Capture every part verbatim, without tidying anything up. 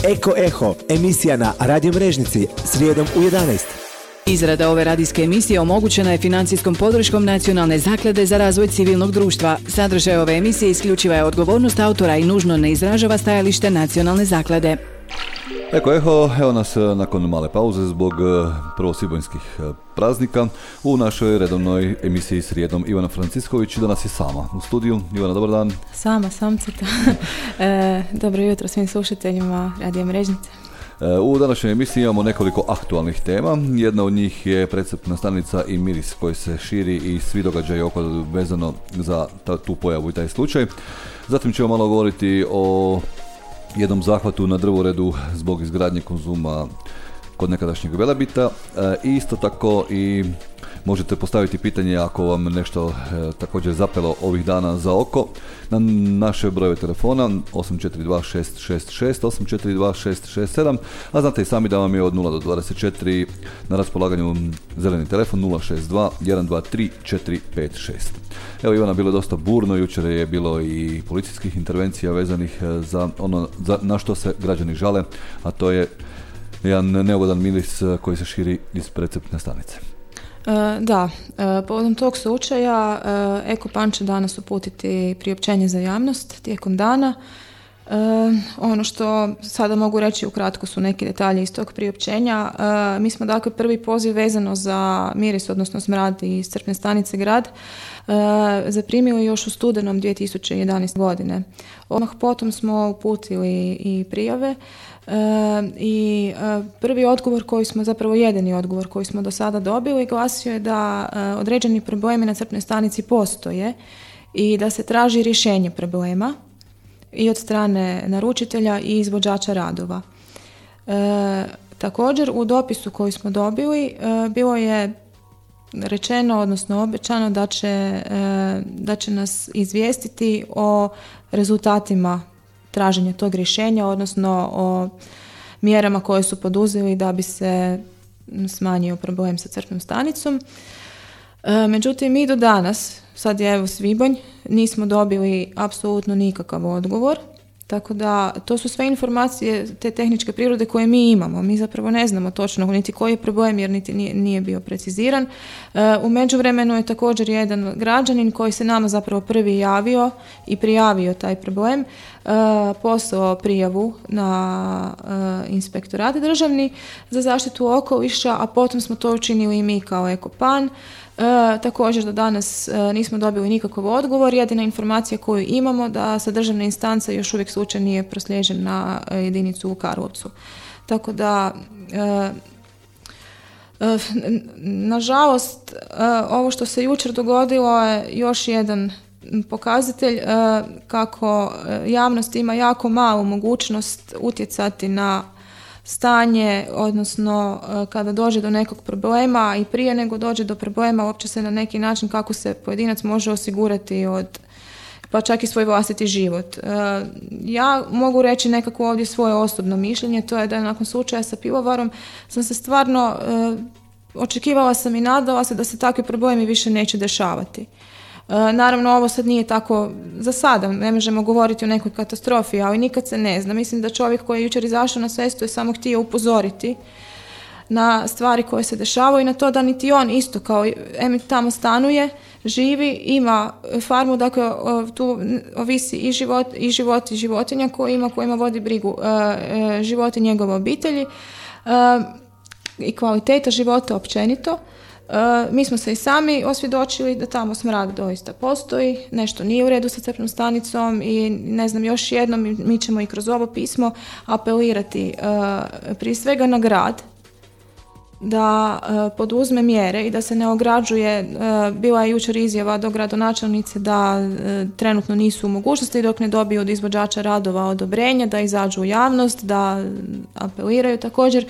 Eko Eho, emisija na Radio Mrežnici, srijedom u jedanaest. Izrada ove radijske emisije omogućena je financijskom podrškom Nacionalne zaklade za razvoj civilnog društva. Sadržaj ove emisije isključiva je odgovornost autora i nužno ne izražava stajalište Nacionalne zaklade. Eko Eho, evo nas nakon male pauze zbog prvosvibnjskih praznika u našoj redovnoj emisiji srijedom. Ivana Francisković danas je sama u studiju. Ivana, dobar dan. Sama, samcita. e, dobro jutro svim slušateljima Radio Mrežnice. U današnjoj emisiji imamo nekoliko aktualnih tema. Jedna od njih je precrpna stanica i miris koji se širi i svi događaji oko vezano za ta, tu pojavu i taj slučaj. Zatim ćemo malo govoriti o jednom zahvatu na drvoredu zbog izgradnje Konzuma kod nekadašnjeg Velebita. E, isto tako i možete postaviti pitanje ako vam nešto e, također zapelo ovih dana za oko na naše brojeve telefona osam četiri dva šest šest šest, osam četiri dva šest šest sedam, a znate i sami da vam je od nula do dvadeset četiri na raspolaganju zeleni telefon nula šest dva jedan dva tri četiri pet šest. Evo Ivana, bilo je dosta burno, jučer je bilo i policijskih intervencija vezanih za ono za, na što se građani žale, a to je jedan neugodan miris koji se širi iz precrpne stanice. E, da, e, povodom tog slučaja e, Eko Pan će danas uputiti priopćenje za javnost tijekom dana. E, ono što sada mogu reći ukratko su neki detalji iz tog priopćenja. E, mi smo dakle prvi poziv vezano za miris, odnosno smrad iz crpne stanice Grad, e, zaprimili još u studenom dvije tisuće jedanaeste. godine. Odmah potom smo uputili i prijave. E, i e, prvi odgovor koji smo, zapravo jedini odgovor koji smo do sada dobili, glasio je da e, određeni problemi na crpnoj stanici postoje i da se traži rješenje problema i od strane naručitelja i izvođača radova. E, također u dopisu koji smo dobili e, bilo je rečeno, odnosno obećano da će, e, da će nas izvijestiti o rezultatima traženja tog rješenja, odnosno o mjerama koje su poduzeli da bi se smanjio problem sa crpnom stanicom. E, međutim, mi do danas, sad je evo svibanj, nismo dobili apsolutno nikakav odgovor, tako da to su sve informacije te tehničke prirode koje mi imamo. Mi zapravo ne znamo točno niti koji je problem jer niti nije, nije bio preciziran. E, u međuvremenu je također jedan građanin koji se nama zapravo prvi javio i prijavio taj problem, e, poslao prijavu na e, inspektorat državni za zaštitu okoliša, a potom smo to učinili i mi kao Eko Pan. E, također do danas e, nismo dobili nikakav odgovor. Jedina informacija koju imamo da sa državne instance još uvijek slučaj nije proslijeđen na e, jedinicu u Karlovcu. Tako da e, e, nažalost e, ovo što se jučer dogodilo je još jedan pokazatelj e, kako javnost ima jako malu mogućnost utjecati na stanje, odnosno kada dođe do nekog problema i prije nego dođe do problema uopće se na neki način kako se pojedinac može osigurati od, pa čak i svoj vlastiti život. Ja mogu reći nekako ovdje svoje osobno mišljenje, to je da nakon slučaja sa pivovarom sam se stvarno očekivala sam i nadala se da se takvi problemi više neće dešavati. Naravno, ovo sad nije tako za sada, ne možemo govoriti o nekoj katastrofi, ali nikad se ne zna. Mislim da čovjek koji je jučer izašao na cestu je samo htio upozoriti na stvari koje se dešavaju i na to da niti on isto kao em tamo stanuje, živi, ima farmu, dakle tu ovisi i život i život i životinja koji ima, kojima vodi brigu život i njegove obitelji i kvaliteta života općenito. Uh, mi smo se i sami osvjedočili da tamo smrad doista postoji, nešto nije u redu sa crpnom stanicom i ne znam, još jednom mi ćemo i kroz ovo pismo apelirati uh, prije svega na grad da uh, poduzme mjere i da se ne ograđuje. Uh, bila je jučer izjava do gradonačelnice da uh, trenutno nisu u mogućnosti dok ne dobiju od izvođača radova odobrenje da izađu u javnost, da apeliraju također.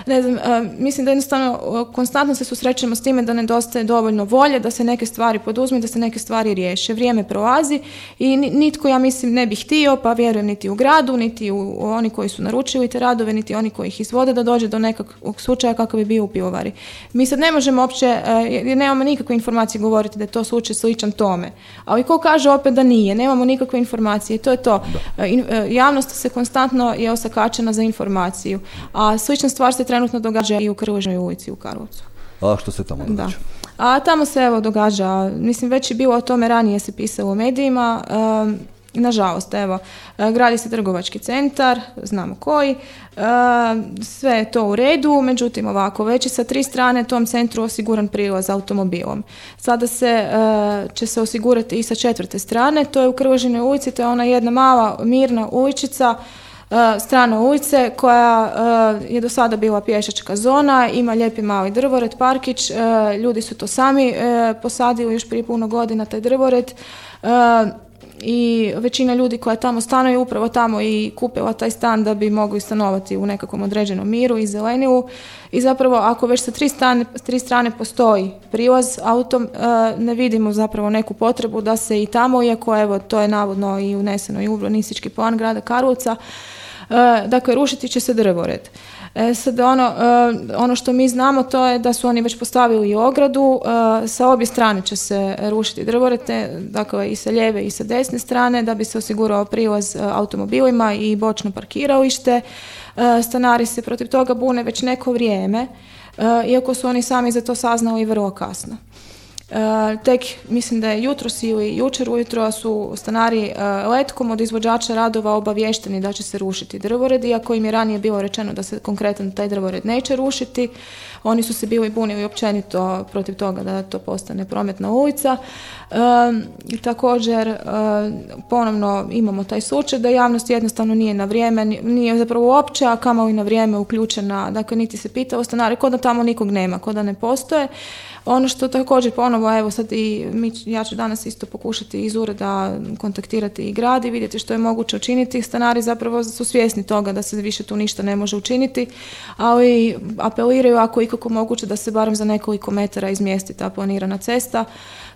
Ne znam, uh, mislim da jednostavno uh, konstantno se susrećemo s time da nedostaje dovoljno volje da se neke stvari poduzme, da se neke stvari riješe. Vrijeme prolazi i nitko, ja mislim, ne bi htio, pa vjerujem niti u gradu, niti u, u oni koji su naručili te radove, niti oni koji ih izvode da dođe do nekakvog slučaja kakav bi bio u pivovari. Mi sad ne možemo uopće, jer nemamo nikakve informacije govoriti da je to slučaj sličan tome. Ali ko kaže opet da nije, nemamo nikakve informacije i to je to. Da. Javnost se konstantno je osakačena za informaciju, a slična stvar se trenutno događa i u Krležnoj ulici u Karlovcu. A što se tamo događa? Da. A tamo se evo događa, mislim već je bilo o tome ranije se pisalo u medijima, um, nažalost evo, gradi se trgovački centar, znamo koji, um, sve je to u redu, međutim ovako, već je sa tri strane tom centru osiguran prilaz automobilom. Sada se, uh, će se osigurati i sa četvrte strane, to je u Krležinoj ulici, to je ona jedna mala mirna uličica, strana ulice koja uh, je do sada bila pješačka zona, ima lijepi mali drvored, parkić, uh, ljudi su to sami uh, posadili još prije puno godina taj drvored uh, i većina ljudi koja tamo stanuje upravo tamo i kupila taj stan da bi mogli stanovati u nekakvom određenom miru i zelenilu i zapravo ako već sa tri strane, tri strane postoji prilaz autom, uh, ne vidimo zapravo neku potrebu da se i tamo, iako evo to je navodno i uneseno i u urbanistički plan grada Karlovca, Uh, dakle, rušiti će se drvored. E, sad ono, uh, ono što mi znamo to je da su oni već postavili i ogradu, uh, sa obje strane će se rušiti drvored, dakle i sa lijeve i sa desne strane da bi se osigurao prilaz uh, automobilima i bočno parkiralište. Uh, stanari se protiv toga bune već neko vrijeme, uh, iako su oni sami za to saznali vrlo kasno. Uh, tek mislim da je jutros ili jučer ujutro su stanari uh, letkom od izvođača radova obavješteni da će se rušiti drvored, iako im je ranije bilo rečeno da se konkretno taj drvored neće rušiti. Oni su se bili bunili općenito protiv toga da to postane prometna ulica. Um, i također uh, ponovno imamo taj slučaj da javnost jednostavno nije na vrijeme, nije zapravo uopće, a kamoli na vrijeme uključena, dakle niti se pitalo stanari, kod da tamo nikog nema, kod da ne postoje. Ono što također ponovo, evo sad i mi, ja ću danas isto pokušati iz ureda kontaktirati i grad i vidjeti što je moguće učiniti. Stanari zapravo su svjesni toga da se više tu ništa ne može učiniti, ali apeliraju ako je ikako moguće da se barem za nekoliko metara izmjesti ta planirana cesta,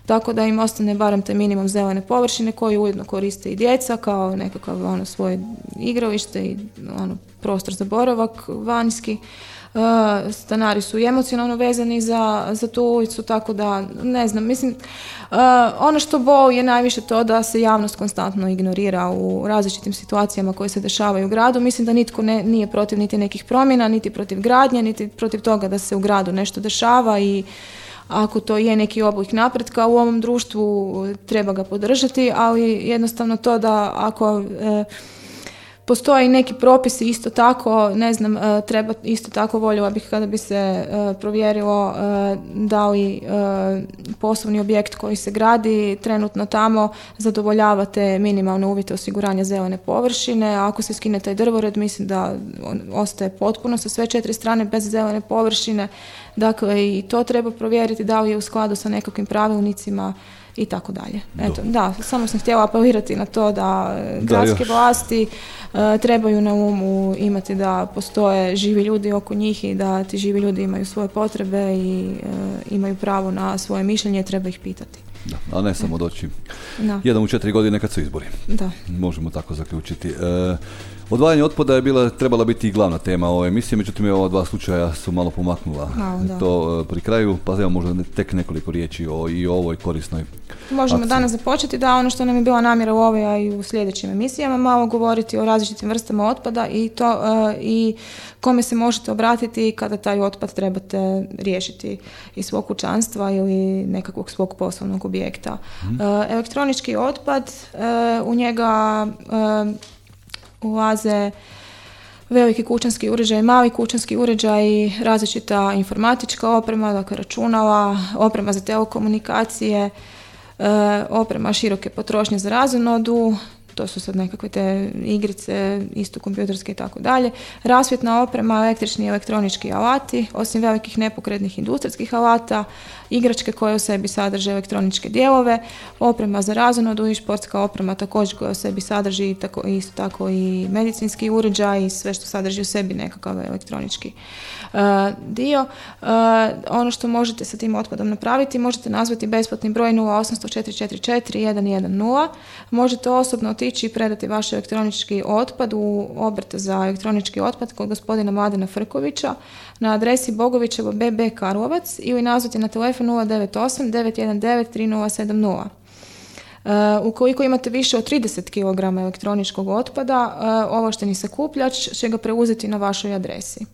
tako da im ostane barem taj minimum zelene površine koju ujedno koriste i djeca kao nekakav ono svoje igralište i ono prostor za boravak vanjski. Uh, stanari su i emocionalno vezani za, za tu ulicu, tako da ne znam, mislim uh, ono što boli je najviše to da se javnost konstantno ignorira u različitim situacijama koje se dešavaju u gradu. Mislim da nitko ne, nije protiv niti nekih promjena, niti protiv gradnje, niti protiv toga da se u gradu nešto dešava i ako to je neki oblik napretka u ovom društvu treba ga podržati, ali jednostavno to da ako uh, postoje neki propisi isto tako, ne znam, treba isto tako voljela bih kada bi se provjerilo da li poslovni objekt koji se gradi trenutno tamo zadovoljava te minimalne uvjete osiguranja zelene površine. A ako se skine taj drvored, mislim da on ostaje potpuno sa sve četiri strane bez zelene površine. Dakle, i to treba provjeriti da li je u skladu sa nekakvim pravilnicima i tako dalje. Eto, da, samo sam htjela apelirati na to da gradske da, vlasti uh, trebaju na umu imati da postoje živi ljudi oko njih i da ti živi ljudi imaju svoje potrebe i uh, imaju pravo na svoje mišljenje, treba ih pitati. Da, a ne samo doći da. jedan u četiri godine kad su izbori. Da. Možemo tako zaključiti. E, odvajanje otpada je bila, trebala biti i glavna tema ove emisije, međutim ova dva slučaja su malo pomaknula malo, to pri kraju, pa evo možda tek nekoliko riječi o, i o ovoj korisnoj Možemo akciji. Danas započeti da ono što nam je bila namjera u ovoj, a i u sljedećim emisijama, malo govoriti o različitim vrstama otpada i to uh, i kome se možete obratiti kada taj otpad trebate riješiti iz svog kućanstva ili nekakvog svog poslovnog objekta. Hmm. Uh, elektronički otpad, uh, u njega uh, ulaze veliki kućanski uređaj, mali kućanski uređaj, različita informatička oprema, dakle računala, oprema za telekomunikacije, oprema široke potrošnje za razonodu, to su sad nekakve te igrice, isto kompjuterske i tako dalje, rasvjetna oprema, električni i elektronički alati, osim velikih nepokretnih industrijskih alata, igračke koje u sebi sadrže elektroničke dijelove, oprema za razonodu i športska oprema također koja u sebi sadrži tako, isto tako i medicinski uređaj i sve što sadrži u sebi nekakav elektronički uh, dio. Uh, ono što možete sa tim otpadom napraviti, možete nazvati besplatni broj nula osam četiri četiri četiri jedan jedan nula, možete osobno otići otići i predati vaš elektronički otpad u obrt za elektronički otpad kod gospodina Mladena Frkovića na adresi Bogovićevo B B Karlovac ili nazvati na telefon nula devet osam devet jedan devet tri nula sedam nula. Uh, ukoliko imate više od trideset kilograma elektroničkog otpada, uh, ovlašteni sakupljač će ga preuzeti na vašoj adresi.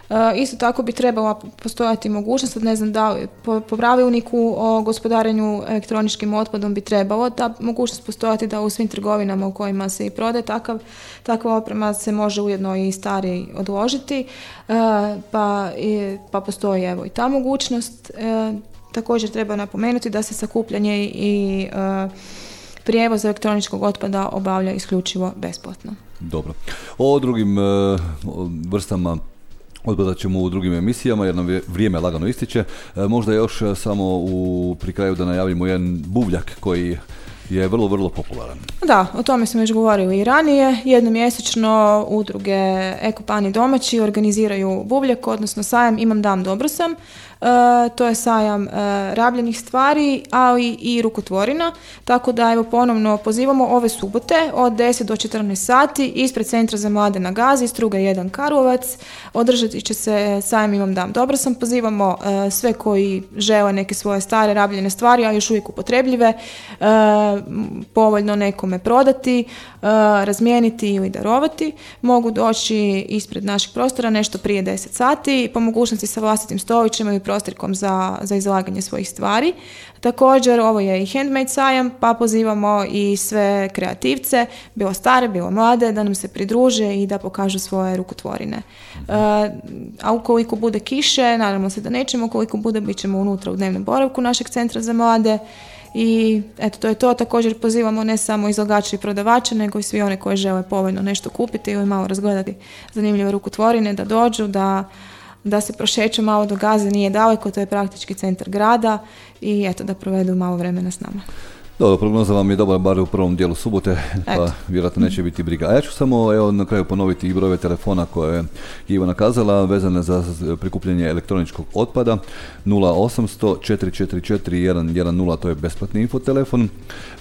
Uh, isto tako bi trebala postojati mogućnost, ne znam da li po, po pravilniku o gospodarenju elektroničkim otpadom bi trebalo ta mogućnost postojati da u svim trgovinama u kojima se i prodaje takav, takva oprema se može ujedno i stari odložiti, uh, pa, i, pa postoji evo i ta mogućnost. Uh, također treba napomenuti da se sakupljanje i uh, prijevoz elektroničkog otpada obavlja isključivo besplatno. Dobro. O drugim uh, vrstama otpada ćemo u drugim emisijama jer nam vrijeme lagano ističe. E, možda još samo u, pri kraju da najavimo jedan buvljak koji je vrlo, vrlo popularan. Da, o tome smo već govorili i ranije. Jednomjesečno udruge Ekopani domaći organiziraju buvljak, odnosno sajam Imam dam dobro sam. Uh, to je sajam uh, rabljenih stvari, ali i rukotvorina, tako da evo ponovno pozivamo ove subote od deset do četrnaest sati ispred Centra za mlade na Gazi, Struga jedan Karlovac. Održati će se sajam Imam dam dobro sam. Pozivamo uh, sve koji žele neke svoje stare rabljene stvari, a još uvijek upotrebljive, uh, povoljno nekome prodati, uh, razmijeniti ili darovati. Mogu doći ispred naših prostora nešto prije deset sati, po mogućnosti sa vlastitim stolićima ili prostorkom za, za izlaganje svojih stvari. Također, ovo je i handmade sajam, pa pozivamo i sve kreativce, bilo stare, bilo mlade, da nam se pridruže i da pokažu svoje rukotvorine. Uh, a ukoliko bude kiše, naravno se da nećemo, ukoliko bude, bit ćemo unutra u dnevnom boravku našeg Centra za mlade. I eto, to je to. Također pozivamo ne samo izlagače i prodavače, nego i svi one koji žele povoljno nešto kupiti ili malo razgledati zanimljive rukotvorine, da dođu, da da se prošeću malo do Gaze, nije daleko, to je praktički centar grada i eto, da provedu malo vremena s nama. Dobro, prognoza vam je dobra bar u prvom dijelu subote, pa eto, vjerojatno neće biti briga. A ja ću samo evo, na kraju ponoviti i brojeve telefona koje je Ivana kazala, vezane za prikupljanje elektroničkog otpada. Nula osamsto četiri četiri četiri jedan jedan nula, to je besplatni infotelefon.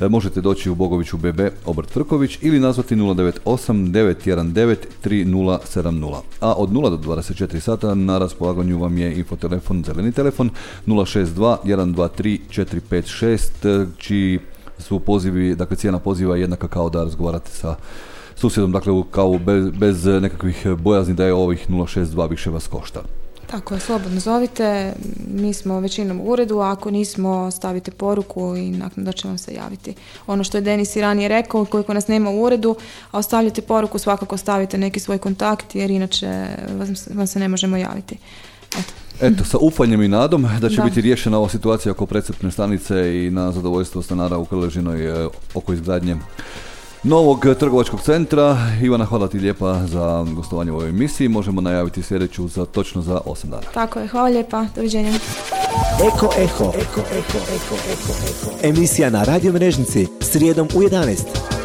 E, možete doći u Bogoviću B B obrt Frković ili nazvati nula devet osam devet jedan devet tri nula sedam nula. A od nula do dvadeset četiri sata na raspolaganju vam je infotelefon, zeleni telefon nula šest dva jedan dva tri četiri pet šest, čiji su pozivi, dakle cijena poziva je jednaka kao da razgovarate sa susjedom, dakle kao bez, bez nekakvih bojazni da je ovih nula šest dva više vas košta. Tako je, slobodno zovite, mi smo većinom u uredu, a ako nismo stavite poruku i naknadno će vam se javiti. Ono što je Denis i ranije rekao, koliko nas nema u uredu, a ostavljate poruku, svakako stavite neki svoj kontakt jer inače vam se ne možemo javiti. Eto. Eto, sa ufanjem i nadom da će da. biti riješena ova situacija oko precrpne stanice i na zadovoljstvo stanara u Krležinoj e, oko izgradnje novog trgovačkog centra. Ivana, hvala ti lijepa za gostovanje u ovoj emisiji. Možemo najaviti sljedeću za točno za osam dana. Tako je, hvala lijepa. Doviđenja. Eko, eko, eko, eko, eko, eko, eko. Emisija na Radio Mrežnici srijedom u jedanaest.